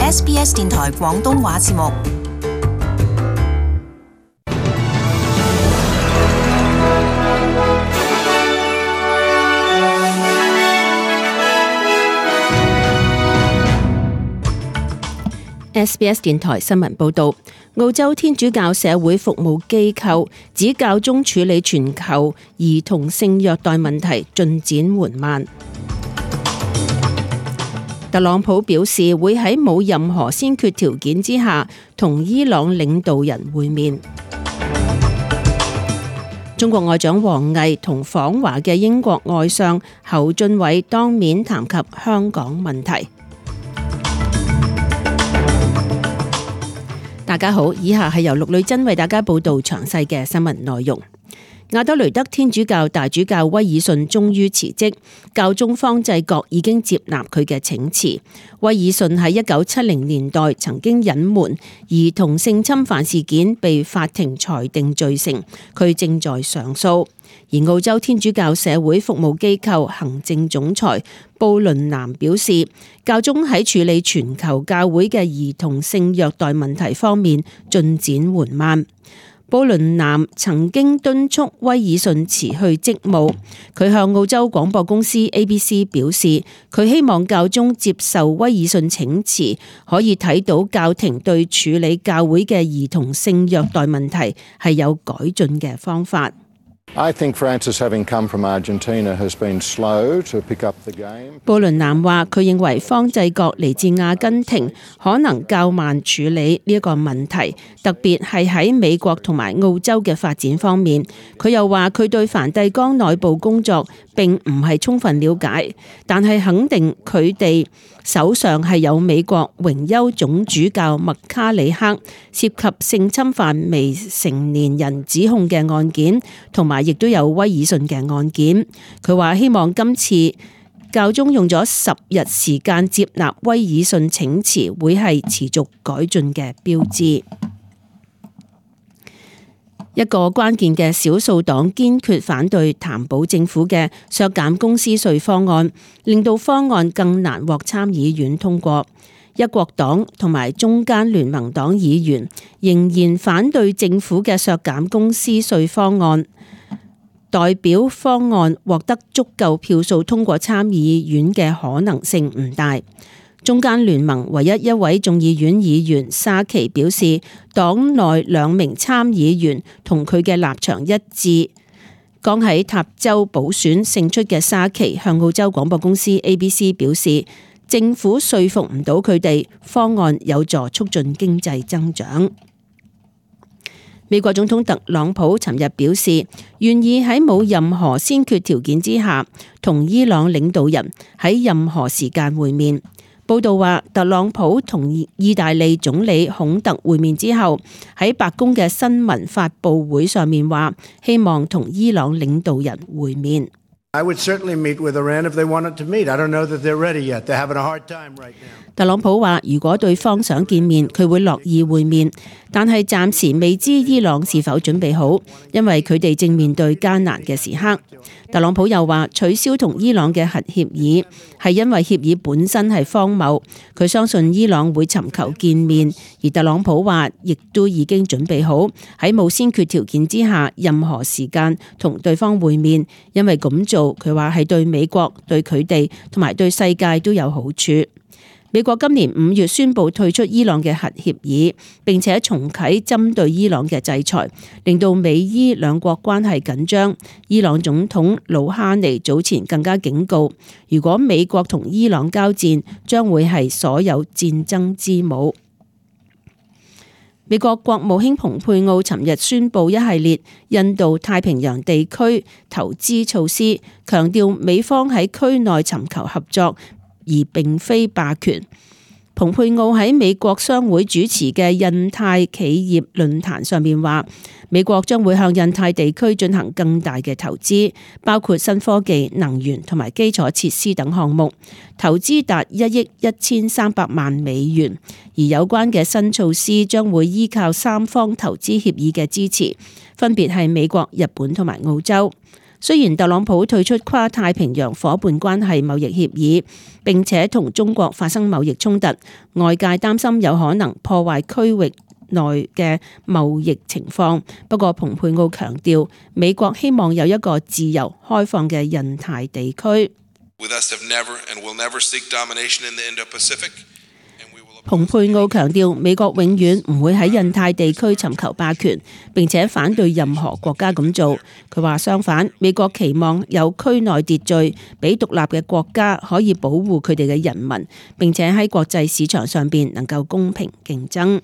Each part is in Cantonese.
SBS 電台廣東話節目。SBS 電台新聞報道，澳洲天主教社會服務機構指教宗處理全球兒童性虐待問題進展緩慢。特朗普表示會喺冇任何先決條件之下同伊朗領導人會面。中國外長王毅同訪華嘅英國外相侯俊偉當面談及香港問題。大家好，以下係由陸女真為大家報道詳細嘅新聞內容。亞德雷德天主教大主教威爾遜終於辭職，教宗方濟各已經接納佢嘅請辭。威爾遜喺1970年代曾經隱瞞兒童性侵犯事件，被法庭裁定罪成，佢正在上訴。而澳洲天主教社會服務機構行政總裁布倫南表示，教宗喺處理全球教會嘅兒童性虐待問題方面進展緩慢。布倫南曾經敦促威爾遜辭去職務，佢向澳洲廣播公司 ABC 表示，佢希望教宗接受威爾遜請辭，可以睇到教廷對處理教會嘅兒童性虐待問題係有改進嘅方法。I think Francis, having come from Argentina, has been slow to pick up the game. 布倫南話：佢認為方濟各嚟自阿根廷，可能較慢處理呢一個問題，特別係喺美國同埋澳洲嘅發展方面。佢又話：佢對梵蒂岡內部工作並唔係充分了解，但係肯定佢哋手上係有美國榮休總主教麥卡里克涉及性侵犯未成年人指控嘅案件，同埋亦都有威爾遜嘅案件。佢話希望今次教宗用咗10日時間接納威爾遜請辭，會係持續改進嘅標誌。一個關鍵嘅少數黨堅決反對譚寶政府嘅削減公司稅方案，令到方案更難獲參議院通過。一國黨同埋中間聯盟黨議員仍然反對政府嘅削減公司稅方案，代表方案獲得足夠票數通過參議院嘅可能性唔大。中間聯盟唯一一位眾議院議員沙奇表示，黨內2名參議員同佢嘅立場一致。剛喺塔州補選勝出嘅沙奇向澳洲廣播公司 ABC 表示，政府說服唔到佢哋，方案有助促進經濟增長。美國總統特朗普尋日表示，願意喺冇任何先決條件之下，同伊朗領導人喺任何時間會面。報道話，特朗普同意大利總理孔特會面之後，喺白宮嘅新聞發佈會上面話，希望同伊朗領導人會面。I would certainly meet with Iran if they wanted to meet. I don't know that they're ready yet. They're having a hard time right now. 特朗普話，如果對方想見面，佢會樂意會面，但係暫時未知伊朗是否準備好，因為佢哋正面對艱難嘅時刻。特朗普又話，取消同伊朗嘅核協議係因為協議本身係荒謬，佢相信伊朗會尋求見面，而特朗普話亦都已經準備好喺冇先決條件之下，任何時間同對方會面，因為咁做佢話係對美國、對佢哋同埋對世界都有好處。美國今年5月宣布退出伊朗嘅核協議，並且重啟針對伊朗嘅制裁，令到美伊兩國關係緊張。伊朗總統魯哈尼早前更加警告，如果美國同伊朗交戰，將會係所有戰爭之母。美國國務卿蓬佩奧尋日宣布一系列印度太平洋地區投資措施，強調美方喺區內尋求合作，而並非霸權。蓬佩奧喺美國商會主持嘅印太企業論壇上面話，美國將會向印太地區進行更大嘅投資，包括新科技、能源同埋基礎設施等項目，投資達1億1300萬美元。而有關嘅新措施將會依靠3方投資協議嘅支持，分別係美國、日本同埋澳洲。雖然特朗普退出跨太平洋夥伴關係貿易協議，並且同中國發生貿易衝突，外界擔心有可能破壞區域內嘅貿易情況。不過，蓬佩奧強調，美國希望有一個自由開放嘅印太地區。蓬佩奧強調，美國永遠唔會喺印太地區尋求霸權，並且反對任何國家咁做。佢話相反，美國期望有區內秩序，俾獨立嘅國家可以保護佢哋嘅人民，並且喺國際市場上邊能夠公平競爭。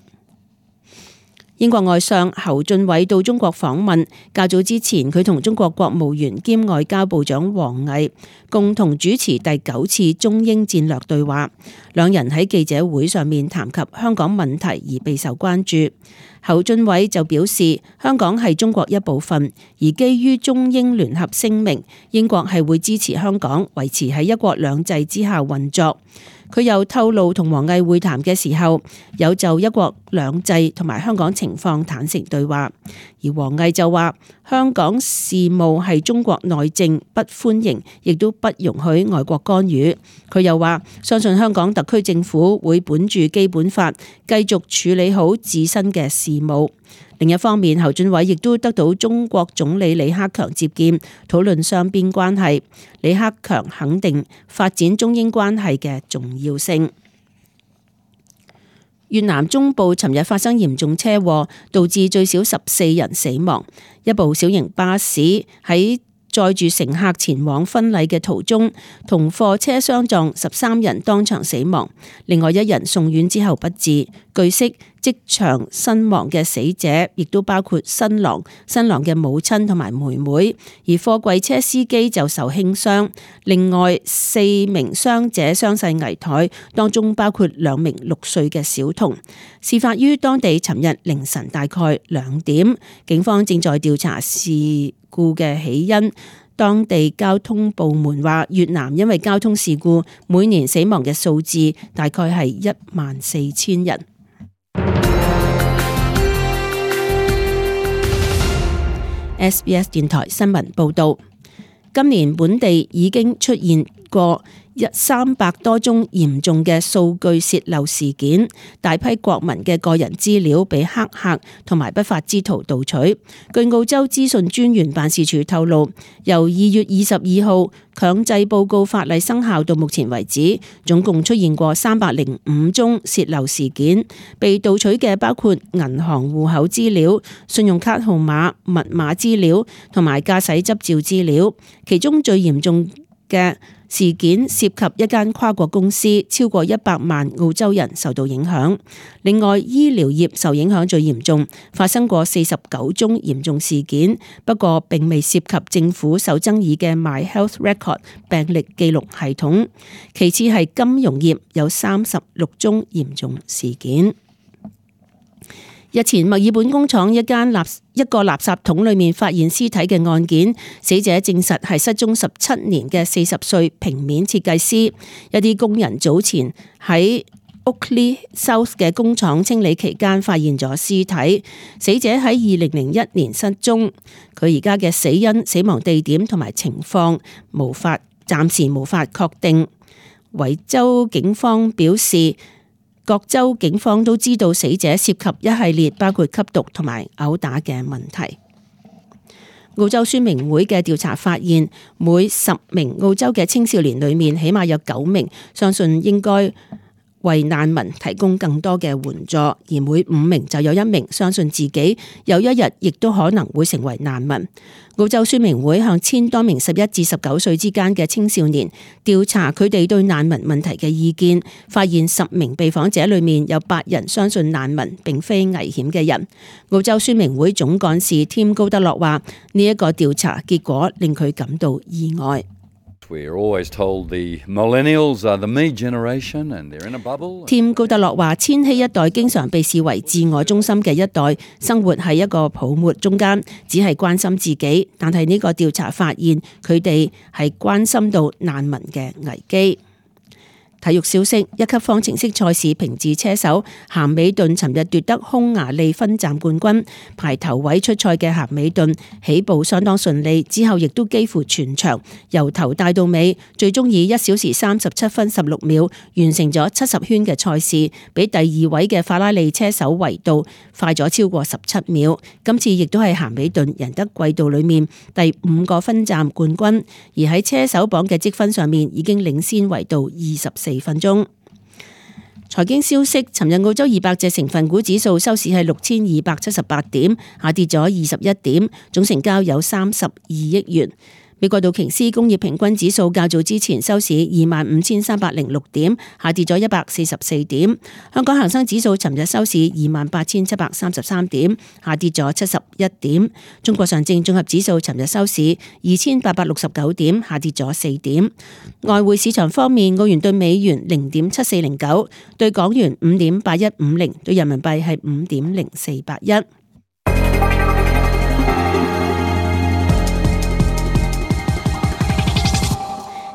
英國外相侯俊偉到中國訪問，較早之前佢同中國國務院兼外交部長王毅共同主持第9次中英戰略對話，兩人喺記者會上面談及香港問題而備受關注。侯俊偉就表示，香港係中國一部分，而基於中英聯合聲明，英國係會支持香港維持喺一國兩制之下運作。佢又透露同王毅會談嘅時候，有就一國兩制同埋香港情況坦誠對話。而王毅就話，香港事務係中國內政，不歡迎，亦都不容許外國干預。佢又話，相信香港特區政府會本住基本法，繼續處理好自身嘅事務。另一方面，侯俊偉亦都得到中國總理李克強接見，討論雙邊關係。李克強肯定發展中英關係嘅重要性。越南中部尋日發生嚴重車禍，導致最少14人死亡。一部小型巴士喺載住乘客前往婚禮嘅途中，同貨車相撞，13人當場死亡，另外1人送院之後不治。據悉，即場身亡嘅死者亦都包括新郎、新郎嘅母親同埋妹妹，而貨櫃車司機就受輕傷。另外4名傷者傷勢危殆，當中包括2名6歲嘅小童。事發於當地尋日凌晨大概2點，警方正在調查事故嘅起因。當地交通部門話，越南因為交通事故每年死亡嘅數字大概係14,000人。SBS 電台新聞報道，今年本地已經出現過300多宗嚴重嘅數據洩漏事件，大批國民嘅個人資料被黑客同埋不法之徒盜取。據澳洲資訊專員辦事處透露，由2月22號強制報告法例生效到目前為止，總共出現過305宗洩漏事件。被盜取嘅包括銀行戶口資料、信用卡號碼、密碼資料同埋駕駛執照資料。其中最嚴重嘅事件涉及一間跨國公司，超過100萬澳洲人受到影響。另外，醫療業受影響最嚴重，發生過49宗嚴重事件，不過並未涉及政府受爭議嘅 My Health Record 病歷記錄系統。其次係金融業有36宗嚴重事件。日前，墨爾本工廠一個垃圾桶裏面發現屍體嘅案件，死者證實係失蹤17年嘅40歲平面設計師。一啲工人早前喺 Oakley South 嘅工廠清理期間發現咗屍體，死者喺2001年失蹤。佢而家嘅死因、死亡地點同埋情況暫時無法確定。維州警方表示，各州警方都知道死者涉及一系列包括吸毒同埋毆打嘅問題。澳洲宣明會嘅調查發現，每10名澳洲嘅青少年裏面，起碼有9名相信應該為難民提供更多嘅援助，而每5名就有1名相信自己有一日亦都可能會成為難民。澳洲宣明會向1000多名11至19歲之間嘅青少年調查佢哋對難民問題嘅意見，發現10名被訪者裏面有8人相信難民並非危險嘅人。澳洲宣明會總幹事添高德洛話：呢一個調查結果令佢感到意外。添高德洛話：千禧一代經常被視為自我中心嘅一代，生活喺一個泡沫中間，只係關心自己。但係呢個調查發現，佢哋係關心到難民嘅危機。體育消息：一級方程式賽事平治車手咸美頓尋日奪得匈牙利分站冠軍，排頭位出賽嘅咸美頓起步相當順利，之後亦都幾乎全場由頭帶到尾，最終以1小時37分16秒完成咗70圈嘅賽事，比第2位嘅法拉利車手維杜快咗超過17秒。今次亦都係咸美頓贏得季度裏面第5個分站冠軍，而喺車手榜嘅積分上面已經領先維杜24分鐘。財經消息：尋日澳洲200隻成分股指數收市係6278點，下跌咗21點，總成交有32億元。美國道瓊斯工業平均指數較早之前收市25,306點，下跌咗144點。香港恒生指數尋日收市28,733點，下跌咗71點。中國上證綜合指數尋日收市2,869點，下跌咗4點。外匯市場方面，澳元對美元0.7409，對港元5.8150，對人民幣係5.0481。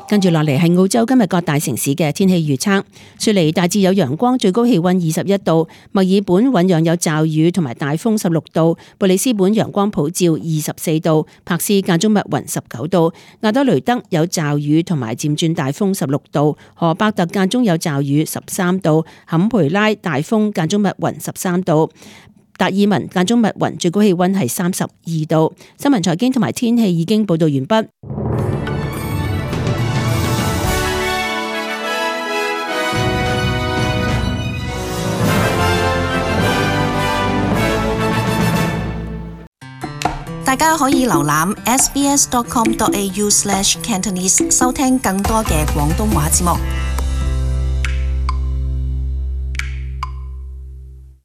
跟住落嚟係澳洲今日各大城市嘅天氣預測。雪梨大致有陽光，最高氣溫21度；墨爾本醞釀有驟雨同埋大風16度；布里斯本陽光普照24度；柏斯間中密雲19度；亞德雷德有驟雨同埋漸轉大風16度；荷伯特間中有驟雨13度；坎培拉大風間中密雲13度；達爾文間中密雲，最高氣溫係32度。新聞財經同埋天氣已經報道完畢。大家可以瀏覽 sbs.com.au/cantonese 收聽更多嘅廣東話節目。